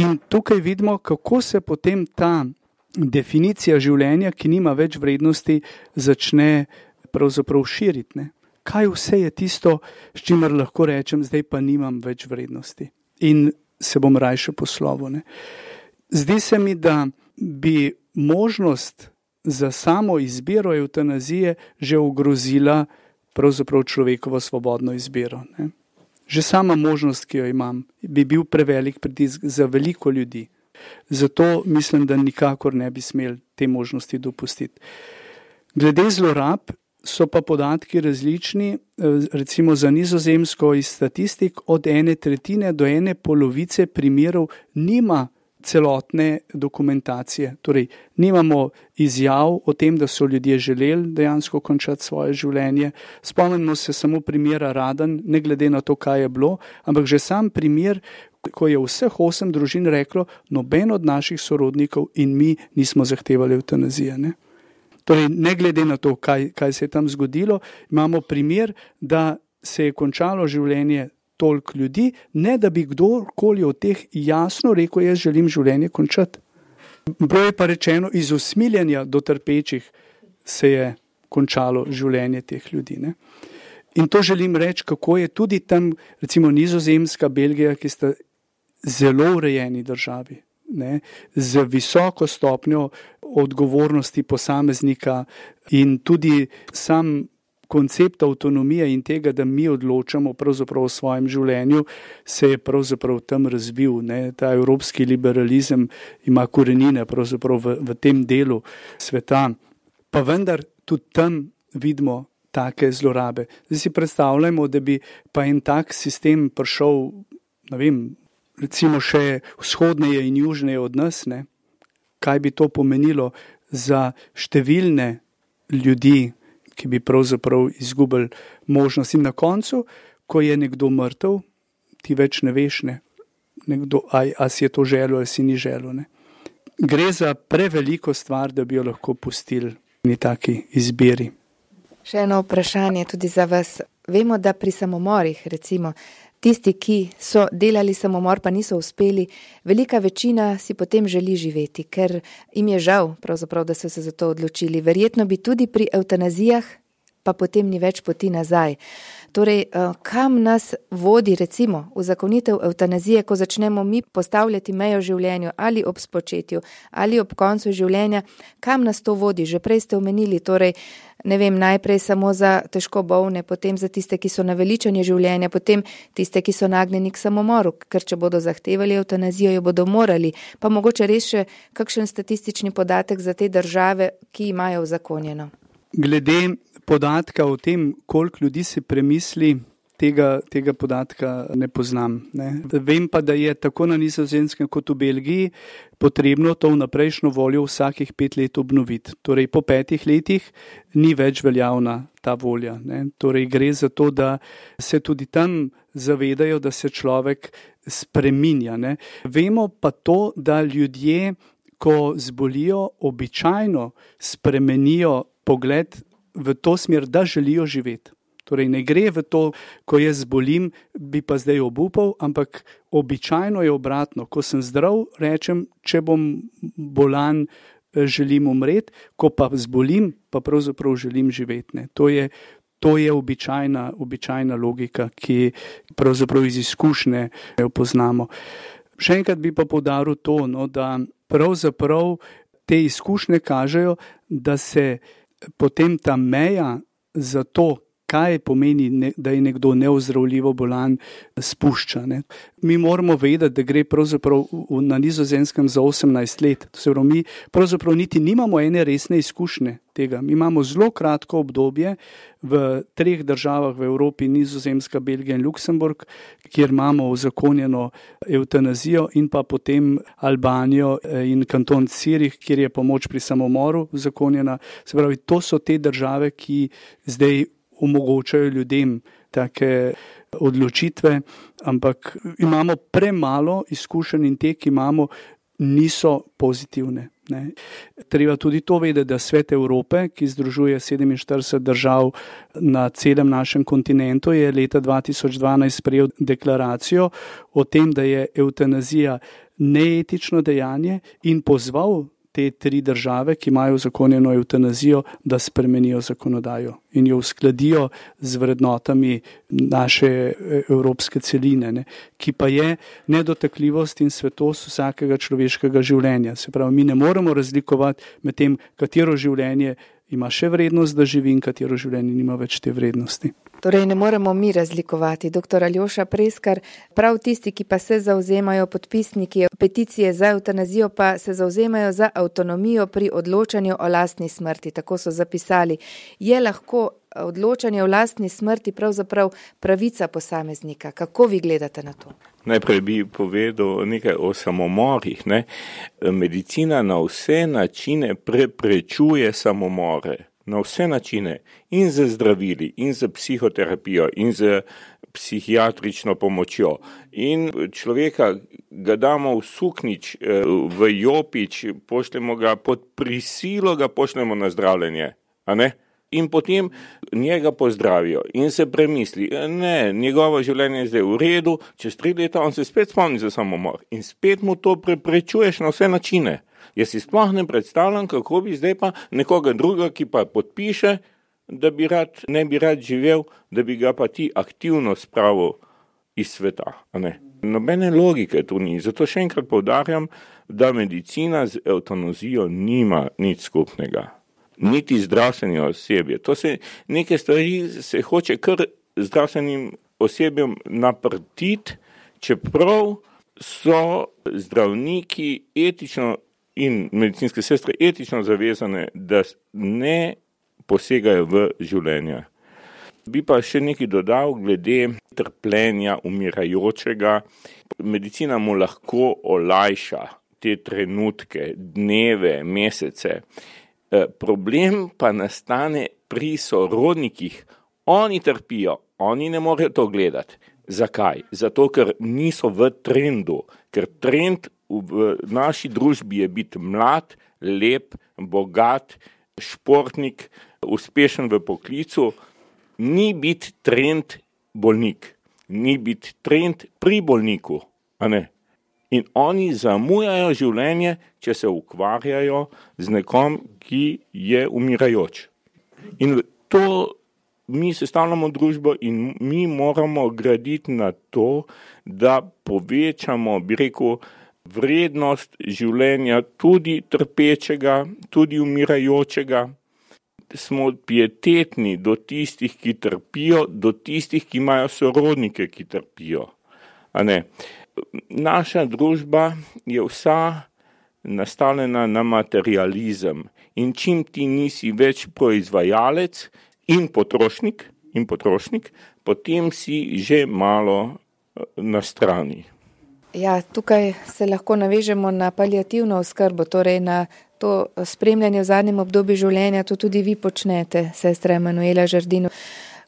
In tukaj vidimo, kako se potem ta definicija življenja, ki nima več vrednosti, začne pravzaprav širiti. Ne? Kaj vse je tisto, s čimer lahko rečem, zdaj pa nimam več vrednosti in se bom rajše poslovil. Ne? Zdi se mi, da bi možnost za samo izbiro evtanazije že ogrozila pravzaprav človekovo svobodno izbiro. Ne? Že sama možnost, ki jo imam, bi bil prevelik pritisk za veliko ljudi. Zato mislim, da nikakor ne bi smeli te možnosti dopustiti. Glede zlorab so pa podatki različni, recimo za Nizozemsko iz statistik od 1/3 do 1/2 primerov nima celotne dokumentacije. Torej, nimamo izjav o tem, da so ljudje želeli dejansko končati svoje življenje. Spomnimo se samo primera Radan, ne glede na to, kaj je bilo, ampak že sam primer, ko je vseh 8 družin reklo, noben od naših sorodnikov in mi nismo zahtevali evtanazije. Ne? Torej, ne glede na to, kaj se je tam zgodilo, imamo primer, da se je končalo življenje toliko ljudi, ne da bi kdorkoli od teh jasno rekel, jaz želim življenje končati. Bilo je pa rečeno, iz usmiljenja do trpečih se je končalo življenje teh ljudi. Ne? In to želim reči, kako je tudi tam, recimo Nizozemska, Belgija, ki sta zelo urejeni državi, ne? Z visoko stopnjo odgovornosti posameznika in tudi sam koncept avtonomije in tega, da mi odločamo pravzaprav o svojem življenju, se je pravzaprav tam razvil. Ne? Ta evropski liberalizem ima korenine pravzaprav v tem delu sveta. Pa vendar tudi tam vidimo take zlorabe. Zdaj si predstavljamo, da bi pa en tak sistem prišel, ne vem, recimo še vzhodneje in južneje od nas, ne? Kaj bi to pomenilo za številne ljudi, ki bi pravzaprav izgubili možnost. In na koncu, ko je nekdo mrtev, ti več ne veš, ne? Nekdo, a si je to želel, ali si ni želel. Ne? Gre za preveliko stvar, da bi jo lahko pustili v taki izbiri. Še eno vprašanje tudi za vas. Vemo, da pri samomorih, recimo, tisti, ki so delali samomor, pa niso uspeli, velika večina si potem želi živeti, ker jim je žal, pravzaprav, da so se za to odločili. Verjetno bi tudi pri evtanazijah, pa potem ni več poti nazaj. Torej, kam nas vodi, recimo, uzakonitev evtanazije, ko začnemo mi postavljati mejo življenju, ali ob spočetju, ali ob koncu življenja, kam nas to vodi? Že prej ste omenili, torej, ne vem, najprej samo za težko bolne, potem za tiste, ki so naveličani življenja, potem tiste, ki so nagnjeni k samomoru, ker če bodo zahtevali evtanazijo, jo bodo morali. Pa mogoče res še kakšen statistični podatek za te države, ki imajo uzakonjeno. Glede podatka o tem, koliko ljudi si premisli tega podatka ne poznam. Ne. Vem pa, da je tako na Nizozemskem kot v Belgiji potrebno to vnaprejšnjo voljo vsakih 5 let obnoviti. Torej po 5 letih ni več veljavna ta volja. Ne. Torej gre za to, da se tudi tam zavedajo, da se človek spreminja. Ne. Vemo pa to, da ljudje, ko zbolijo, običajno spremenijo pogled v to smer, da želijo živeti. Torej ne gre v to, ko jaz zbolim, bi pa zdaj obupal, ampak običajno je obratno. Ko sem zdrav, rečem, če bom bolan, želim umreti, ko pa zbolim, pa pravzaprav želim živeti. Ne. To je običajna logika, ki pravzaprav iz izkušnje jo poznamo. Še enkrat bi pa poudaril to, da pravzaprav te izkušnje kažejo, da se potem ta meja za to, kaj pomeni, da je nekdo neozdravljivo bolan, spušča. Ne. Mi moramo vedeti, da gre pravzaprav na Nizozemskem za 18 let. To se pravi, mi pravzaprav niti nimamo ene resne izkušnje tega. Mi imamo zelo kratko obdobje v 3 državah v Evropi, Nizozemska, Belgija in Luksemburg, kjer imamo uzakonjeno evtanazijo, in pa potem Albanijo in kanton Zürich, kjer je pomoč pri samomoru uzakonjena. Se pravi, to so te države, ki zdaj omogočajo ljudem take odločitve, ampak imamo premalo izkušenj in te, ki imamo, niso pozitivne. Ne. Treba tudi to vedeti, da Svet Evrope, ki združuje 47 držav na celem našem kontinentu, je leta 2012 sprejel deklaracijo o tem, da je evtanazija neetično dejanje, in pozval te 3 države, ki imajo uzakonjeno evtanazijo, da spremenijo zakonodajo in jo uskladijo z vrednotami naše evropske celine, ne, ki pa je nedotakljivost in svetost vsakega človeškega življenja. Se pravi, mi ne moremo razlikovati med tem, katero življenje ima še vrednost, da živi, in katero življenje nima več te vrednosti. Torej ne moremo mi razlikovati. Dr. Aljoša Preskar, prav tisti, ki pa se zauzemajo, podpisniki peticije za evtanazijo, pa se zauzemajo za avtonomijo pri odločanju o lastni smrti, tako so zapisali. Je lahko odločanje o lastni smrti pravzaprav pravica posameznika? Kako vi gledate na to? Najprej bi povedal nekaj o samomorih. Ne? Medicina na vse načine preprečuje samomore. Na vse načine, in z zdravili, in z psihoterapijo, in z psihiatrično pomočjo. In človeka ga damo v suknič, v jopič, pošljemo ga pod prisilo, ga pošljemo na zdravljenje. A ne? In potem njega pozdravijo in se premisli, ne, njegovo življenje je zdaj v redu, čez 3 leta on se spet spomni za samomor in spet mu to preprečuješ na vse načine. Jaz si sploh ne predstavljam, kako bi zdaj pa nekoga druga, ki pa podpiše, da ne bi rad živel, da bi ga pa ti aktivno spravil iz sveta. Ne? Nobene logike tu ni. Zato še enkrat poudarjam, da medicina z evtanazijo nima nič skupnega. Niti zdravstveni osebje. To se neke stvari se hoče kar zdravstvenim osebjem naprtiti, čeprav so zdravniki etično in medicinske sestre etično zavezane, da ne posegajo v življenje. Bi pa še nekaj dodal glede trpljenja umirajočega. Medicina mu lahko olajša te trenutke, dneve, mesece. Problem pa nastane pri sorodnikih. Oni trpijo, oni ne morejo to gledati. Zakaj? Zato, ker niso v trendu, ker trend v naši družbi je biti mlad, lep, bogat, športnik, uspešen v poklicu, ni biti trend bolnik, ni biti trend pri bolniku, a ne? In oni zamujajo življenje, če se ukvarjajo z nekom, ki je umirajoč. In to mi sestavljamo družbo in mi moramo graditi na to, da povečamo, bi rekel, vrednost življenja tudi trpečega, tudi umirajočega. Smo pietetni do tistih, ki trpijo, do tistih, ki imajo sorodnike, ki trpijo. A ne? Naša družba je vsa nastavljena na materializem in čim ti nisi več proizvajalec in potrošnik, potem si že malo na strani. Ja, tukaj se lahko navežemo na paliativno oskrbo, torej na to spremljanje v zadnjem obdobju življenja, to tudi vi počnete, sestra Emanuela Žerdino.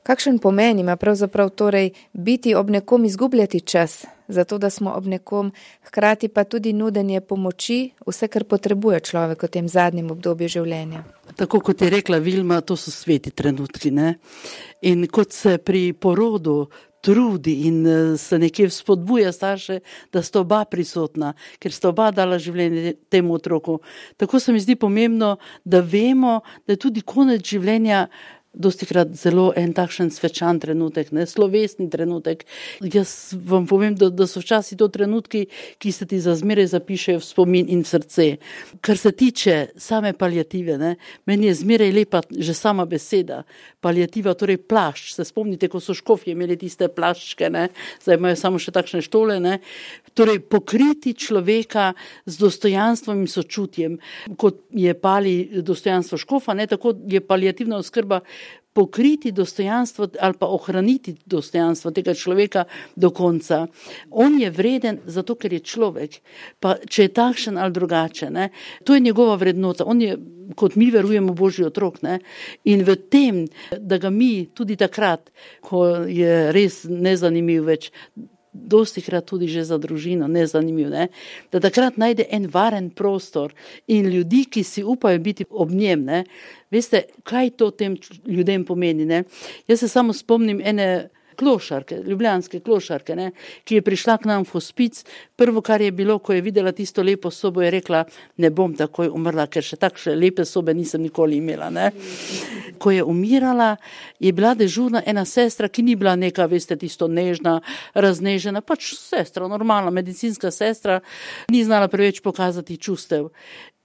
Kakšen pomen ima pravzaprav torej biti ob nekom, izgubljati čas, zato da smo ob nekom, hkrati pa tudi nudenje pomoči, vse, kar potrebuje človek v tem zadnjem obdobju življenja? Tako kot je rekla Vilma, to so sveti trenutki, ne? In kot se pri porodu trudi in se nekje spodbuja starše, da sta oba prisotna, ker sta oba dala življenje temu otroku. Tako se mi zdi pomembno, da vemo, da je tudi konec življenja dostikrat zelo en takšen svečan trenutek, ne, slovesni trenutek. Jaz vam povem, da so včasih to trenutki, ki se ti za zmeraj zapišejo v spomin in v srce. Kar se tiče same paliative, ne, meni je zmeraj lepa že sama beseda. Paliativa, torej plašč. Se spomnite, ko so škofje imeli tiste plaščke, ne, zdaj imajo samo še takšne štole, ne. Torej pokriti človeka z dostojanstvom in sočutjem. Kot je pali dostojanstvo škofa, ne, tako je paliativna oskrba pokriti dostojanstvo ali pa ohraniti dostojanstvo tega človeka do konca. On je vreden zato, ker je človek, pa če je takšen ali drugače, ne, to je njegova vrednota. On je, kot mi verujemo, Božji otrok, ne, in v tem, da ga mi tudi takrat, ko je res nezanimiv več, dostikrat tudi že za družino, nezanimiv, ne, da takrat najde en varen prostor in ljudi, ki si upajo biti ob njem, ne. Veste, kaj to tem ljudem pomeni, ne? Jaz se samo spomnim ene klošarke, ljubljanske klošarke, ne, ki je prišla k nam v hospic. Prvo, kar je bilo, ko je videla tisto lepo sobo, je rekla, ne bom takoj umrla, ker še takšne lepe sobe nisem nikoli imela, ne. Ko je umirala, je bila dežurna ena sestra, ki ni bila neka, veste, tisto nežna, raznežena, pač sestra, normalna medicinska sestra, ni znala preveč pokazati čustev.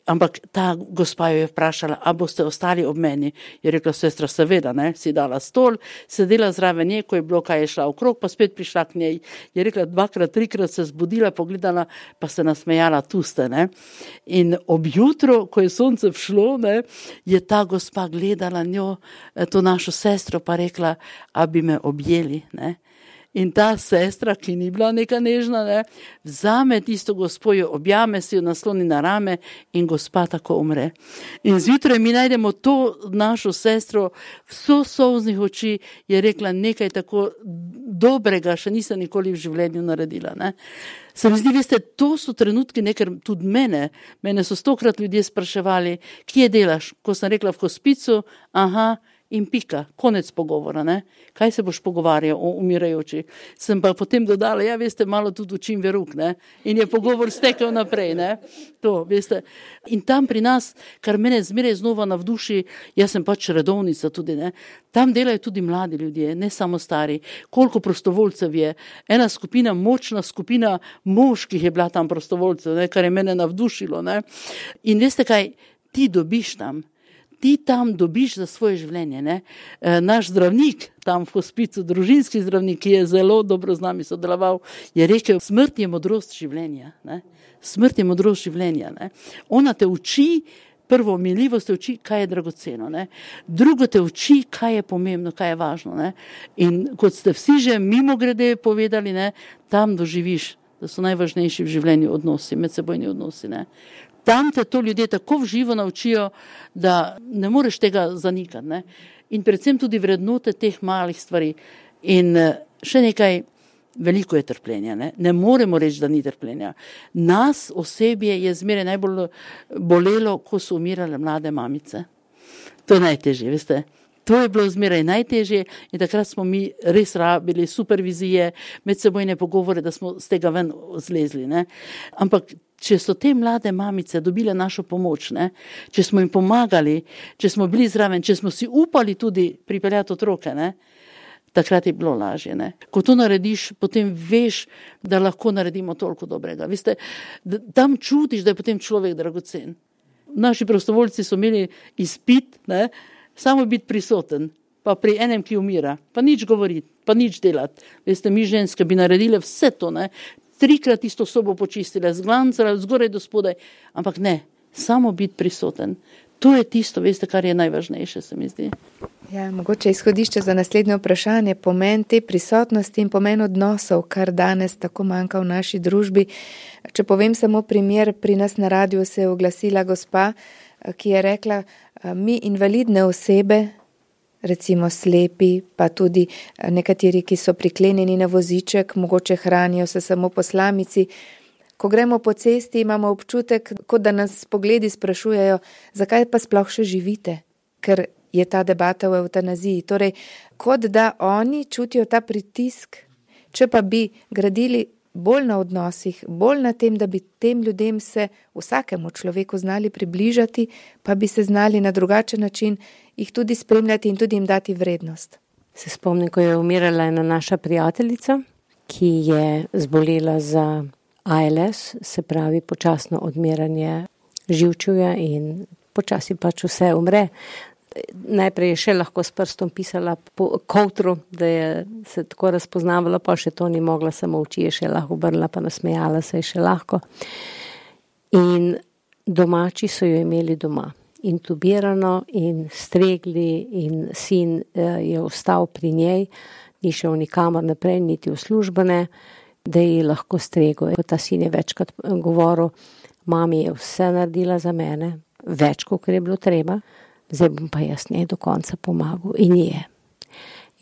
Ampak ta gospa jo je vprašala, a boste ostali ob meni? Je rekla, sestra, seveda, ne, si dala stol, sedela zraven nje, ko je bilo, kaj je šla okrog, pa spet prišla k njej. Je rekla, 2-krat, 3-krat se zbudila, pogledala, pa se nasmejala, tu ste, ne. In ob jutru, ko je sonce všlo, ne, je ta gospa gledala njo, to našo sestro, pa rekla, a bi me objeli, ne. In ta sestra, ki ni bila neka nežna, ne, vzame tisto gospo, jo objame, si jo nasloni na rame in gospa tako umre. In zjutraj mi najdemo to našo sestro, vso solznih oči, je rekla, nekaj tako dobrega še nisem nikoli v življenju naredila, ne. Se mi zdi, veste, to so trenutki, ne, ker tudi mene so 100-krat ljudje spraševali, kje delaš, ko sem rekla v hospicu, aha, in pika, konec pogovora, ne. Kaj se boš pogovarjal o umirajoči? Sem pa potem dodala, ja, veste, malo tudi učim veruk, ne. In je pogovor stekel naprej, ne. To, veste. In tam pri nas, kar mene zmeraj znova navduši, jaz sem pač redovnica tudi, ne. Tam delajo tudi mladi ljudje, ne samo stari. Koliko prostovoljcev je. Ena skupina, močna skupina moških je bila tam prostovoljcev, ne, kar je mene navdušilo, ne. In veste kaj, ti dobiš tam. Ti tam dobiš za svoje življenje, ne. Naš zdravnik tam v hospicu, družinski zdravnik, ki je zelo dobro z nami sodeloval, je rekel, smrt je modrost življenja, ne. Smrt je modrost življenja, ne. Ona te uči, prvo miljivost te uči, kaj je dragoceno, ne. Drugo te uči, kaj je pomembno, kaj je važno, ne. In kot ste vsi že mimogrede povedali, ne, tam doživiš, da so najvažnejši v življenju odnosi, medsebojni odnosi, ne. Tam te to ljudje tako v živo naučijo, da ne moreš tega zanikati, ne. In predvsem tudi vrednote teh malih stvari. In še nekaj, veliko je trpljenja, ne. Ne moremo reči, da ni trpljenja. Nas osebje je zmeraj najbolj bolelo, ko so umirale mlade mamice. To je najtežje, veste. To je bilo zmeraj najtežje in takrat smo mi res rabili supervizije, medsebojne pogovore, da smo z tega ven zlezli, ne. Ampak če so te mlade mamice dobile našo pomoč, ne, če smo jim pomagali, če smo bili zraven, če smo si upali tudi pripeljati otroke, ne, takrat je bilo lažje, ne. Ko to narediš, potem veš, da lahko naredimo toliko dobrega. Veste, tam čutiš, da je potem človek dragocen. Naši prostovoljci so imeli izpit, ne, samo biti prisoten, pa pri enem, ki umira, pa nič govoriti, pa nič delati. Veste, mi ženske bi naredile vse to, ne, 3-krat isto sobo počistile, zglancale od zgoraj do spodaj, ampak ne, samo biti prisoten. To je tisto, veste, kar je najvažnejše, se mi zdi. Ja, mogoče izhodišče za naslednje vprašanje, pomen te prisotnosti in pomen odnosov, kar danes tako manjka v naši družbi. Če povem samo primer, pri nas na radiju se je oglasila gospa, ki je rekla, mi invalidne osebe, recimo slepi, pa tudi nekateri, ki so priklenjeni na voziček, mogoče hranijo se samo po slamici. Ko gremo po cesti, imamo občutek, kot da nas pogledi sprašujejo, zakaj pa sploh še živite, ker je ta debata o evtanaziji. Torej, kot da oni čutijo ta pritisk, če pa bi gradili bolj na odnosih, bolj na tem, da bi tem ljudem se vsakemu človeku znali približati, pa bi se znali na drugačen način jih tudi spremljati in tudi jim dati vrednost. Se spomnim, ko je umirala ena naša prijateljica, ki je zbolela za ALS, se pravi počasno odmiranje živčevja in počasi pač vse umre. Najprej je še lahko s prstom pisala po kovtru, da je se tako razpoznavala, pa še to ni mogla, samo oči je še lahko obrnila, pa nasmejala se je še lahko. In domači so jo imeli doma, intubirano in stregli in sin je ostal pri njej, ni šel nikamor naprej, niti v službene, da ji lahko stregel. Ta sin je večkrat govoril, mami je vse naredila za mene, več, kot je bilo treba, zdaj bom pa jaz njej do konca pomagal in je.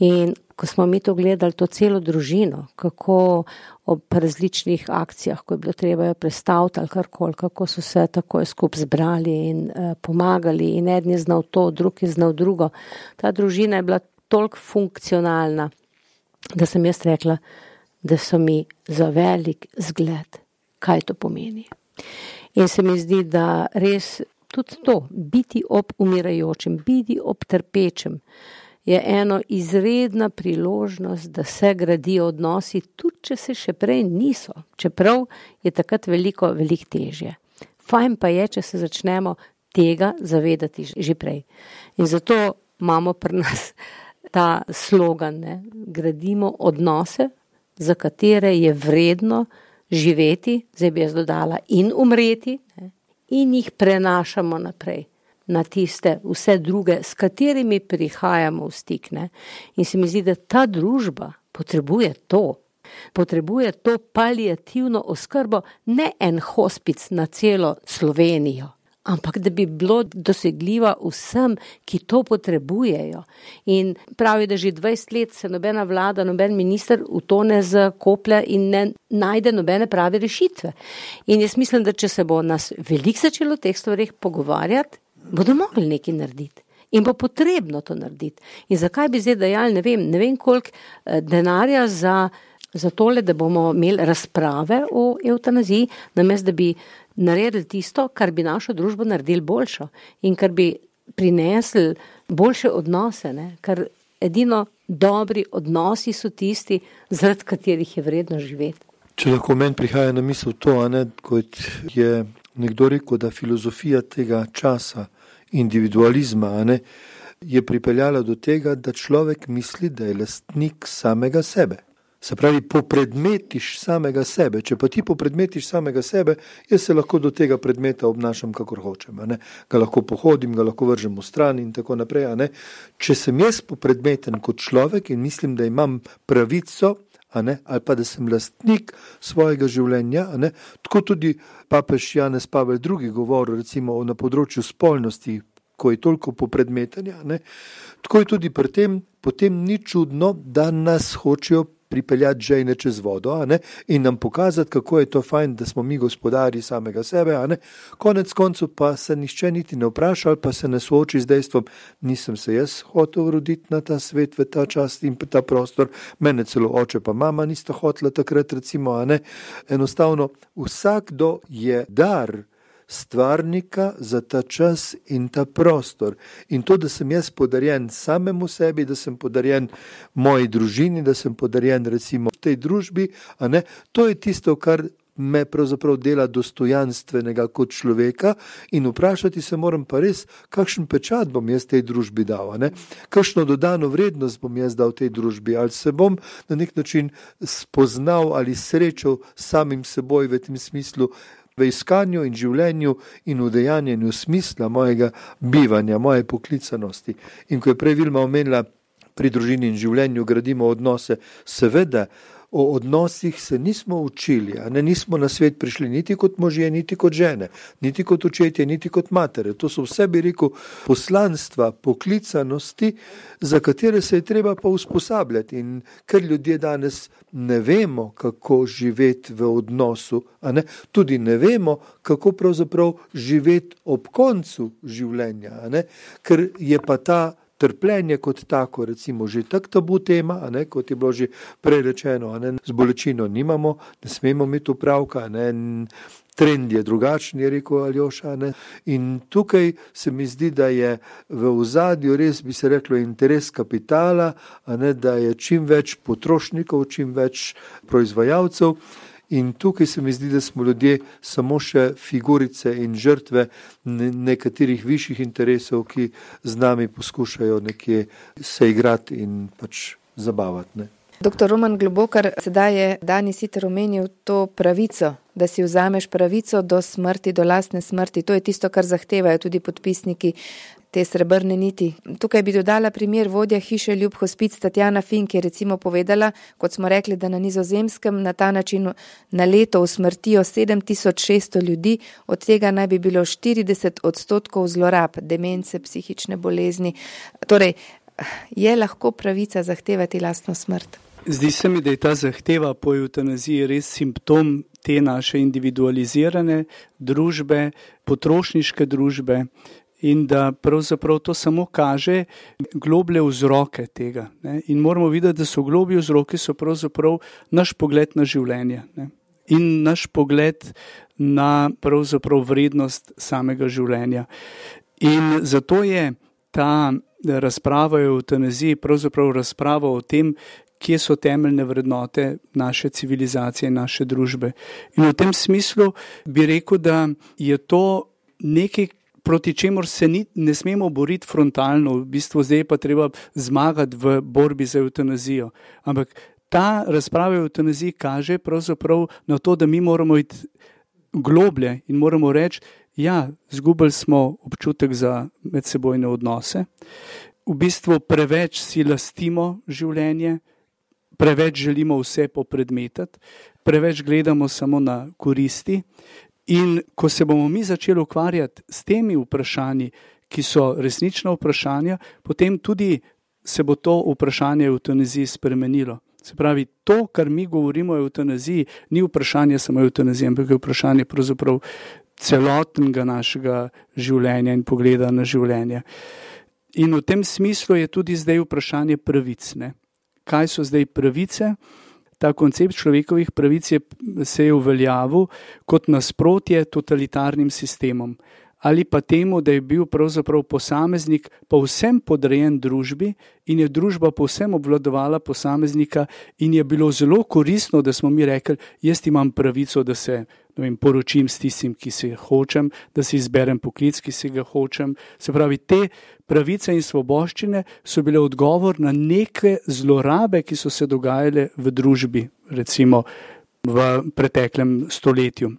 In ko smo mi to gledali, to celo družino, kako ob različnih akcijah, ko je bilo treba jo prestaviti ali karkoli, kako so se takoj skupaj zbrali in pomagali in eden je znal to, drug je znal drugo. Ta družina je bila toliko funkcionalna, da sem jaz rekla, da so mi za velik zgled, kaj to pomeni. In se mi zdi, da res tudi to, biti ob umirajočem, biti ob trpečem, je eno izredna priložnost, da se gradijo odnosi, tudi če se še prej niso, čeprav je takrat veliko težje. Fajn pa je, če se začnemo tega zavedati že prej. In zato imamo pri nas ta slogan, ne? Gradimo odnose, za katere je vredno živeti, zdaj bi jaz dodala, in umreti, ne? In jih prenašamo naprej na tiste vse druge, s katerimi prihajamo v stik. Ne? In se mi zdi, da ta družba potrebuje to paliativno oskrbo, ne en hospic na celo Slovenijo, ampak da bi bilo dosegljiva vsem, ki to potrebujejo. In pravi, da že 20 let se nobena vlada, noben minister v to ne zakoplja in ne najde nobene prave rešitve. In jaz mislim, da če se bo nas veliko začelo o teh stvareh pogovarjati, bodo mogli nekaj narediti. In bo potrebno to narediti. In zakaj bi zdaj dajali, ne vem koliko denarja za tole, da bomo imeli razprave o evtanaziji, namesto da bi naredili tisto, kar bi našo družbo naredili boljšo in kar bi prinesli boljše odnose, ne? Ker edino dobri odnosi so tisti, zaradi katerih je vredno živeti. Če lahko meni prihaja na misel to, kot je nekdo rekel, da filozofija tega časa, individualizma, je pripeljala do tega, da človek misli, da je lastnik samega sebe. Se pravi, popredmetiš samega sebe. Če pa ti popredmetiš samega sebe, jaz se lahko do tega predmeta obnašam, kakor hočem. Ga lahko pohodim, ga lahko vržem v stran in tako naprej. Če sem jaz popredmeten kot človek in mislim, da imam pravico, ali pa da sem lastnik svojega življenja, tako tudi papež Janez Pavel II govoril recimo na področju spolnosti, ko je toliko popredmetenja, tako je tudi pri tem, potem ni čudno, da nas hočejo pripeljati žejne čez vodo, in nam pokazati, kako je to fajn, da smo mi gospodari samega sebe, Konec koncev pa se nihče niti ne vpraša ali pa se ne sooči z dejstvom, nisem se jaz hotel roditi na ta svet, v ta čas in ta prostor, mene celo oče pa mama nista hotela takrat recimo, Enostavno, vsakdo je dar stvarnika za ta čas in ta prostor. In to, da sem jaz podarjen samemu sebi, da sem podarjen moji družini, da sem podarjen recimo v tej družbi, to je tisto, kar me pravzaprav dela dostojanstvenega kot človeka in vprašati se moram pa res, kakšen pečat bom jaz tej družbi dal, kakšno dodano vrednost bom jaz dal tej družbi, ali se bom na nek način spoznal ali srečal samim seboj v tem smislu, v iskanju in življenju in udejanjenju smisla mojega bivanja, moje poklicanosti. In ko je prej Vilma omenila, pri družini in življenju gradimo odnose, seveda, o odnosih se nismo učili, nismo na svet prišli niti kot možje, niti kot žene, niti kot očetje, niti kot matere. To so vse, bi rekel, poslanstva, poklicanosti, za katere se je treba pa usposabljati. In ker ljudje danes ne vemo, kako živeti v odnosu, tudi ne vemo, kako pravzaprav živeti ob koncu življenja, ker je pa ta trpljenje kot tako, recimo, že tak tabu tema, kot je bilo že prej rečeno, z bolečino nimamo, ne smemo imeti upravka, trend je drugačen, je rekel Aljoša, in tukaj se mi zdi, da je v ozadju res, bi se reklo, interes kapitala, da je čim več potrošnikov, čim več proizvajalcev. In tukaj se mi zdi, da smo ljudje samo še figurice in žrtve nekaterih višjih interesov, ki z nami poskušajo nekje se igrati in pač zabavati. Doktor Roman Globokar, sedaj je Dani Siter omenil to pravico, da si vzameš pravico do smrti, do lastne smrti. To je tisto, kar zahtevajo tudi podpisniki te srebrne niti. Tukaj bi dodala primer vodja hiše Ljub Hospic Tatjana Fink, je recimo povedala, kot smo rekli, da na Nizozemskem na ta način na leto usmrtijo 7600 ljudi, od tega naj bi bilo 40% zlorab, demence, psihične bolezni. Torej, je lahko pravica zahtevati lastno smrt? Zdi se mi, da je ta zahteva po evtanaziji res simptom te naše individualizirane družbe, potrošniške družbe, in da pravzaprav to samo kaže globlje vzroke tega. In moramo videti, da so globlji vzroki so pravzaprav naš pogled na življenje, in naš pogled na pravzaprav vrednost samega življenja. In zato je ta razprava o evtanaziji pravzaprav razprava o tem, kje so temeljne vrednote naše civilizacije, naše družbe. In v tem smislu bi rekel, da je to nekaj, proti čemur se ne smemo boriti frontalno, v bistvu zdaj pa treba zmagati v borbi za evtanazijo. Ampak ta razprava o evtanaziji kaže pravzaprav na to, da mi moramo iti globlje in moramo reči, ja, zgubili smo občutek za medsebojne odnose, v bistvu preveč si lastimo življenje, preveč želimo vse popredmetati, preveč gledamo samo na koristi. In ko se bomo mi začeli ukvarjati s temi vprašanji, ki so resnična vprašanja, potem tudi se bo to vprašanje evtanaziji spremenilo. Se pravi, to, kar mi govorimo o evtanaziji, ni vprašanje samo evtanazije, ampak je vprašanje pravzaprav celotnega našega življenja in pogleda na življenje. In v tem smislu je tudi zdaj vprašanje pravic. Kaj so zdaj pravice? Ta koncept človekovih pravic se je uveljavil kot nasprotje totalitarnim sistemom ali pa temu, da je bil pravzaprav posameznik povsem podrejen družbi in je družba povsem obvladovala posameznika in je bilo zelo koristno, da smo mi rekli, jaz imam pravico, da se poročim s tistim, ki se hočem, da si izberem poklic, ki si ga hočem. Se pravi, te pravice in svoboščine so bile odgovor na neke zlorabe, ki so se dogajale v družbi, recimo v preteklem stoletju.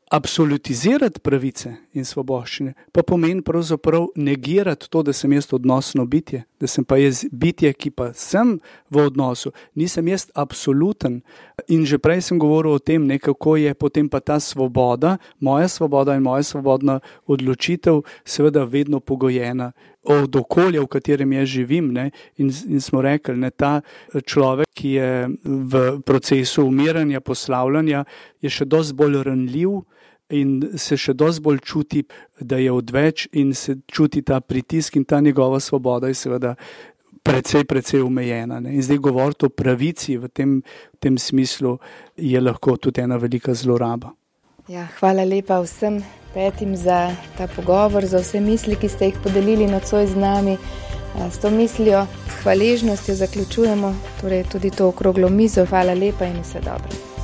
Absolutizirati pravice in svoboščine pa pomeni pravzaprav negirati to, da sem jaz odnosno bitje, da sem pa jaz bitje, ki pa sem v odnosu, nisem jaz absoluten. In že prej sem govoril o tem, kako je potem pa ta svoboda, moja svoboda in moja svobodna odločitev seveda vedno pogojena od okolja, v katerem jaz živim. In smo rekli, ta človek, ki je v procesu umiranja, poslavljanja, je še dosti bolj ranljiv in se še dosti bolj čuti, da je odveč in se čuti ta pritisk in ta njegova svoboda je seveda precej omejena. In zdaj govoriti o pravici v tem smislu je lahko tudi ena velika zloraba. Ja, hvala lepa vsem petim za ta pogovor, za vse misli, ki ste jih podelili nocoj z nami. S to mislijo, s hvaležnostjo zaključujemo torej tudi to okroglo mizo. Hvala lepa in vse dobro.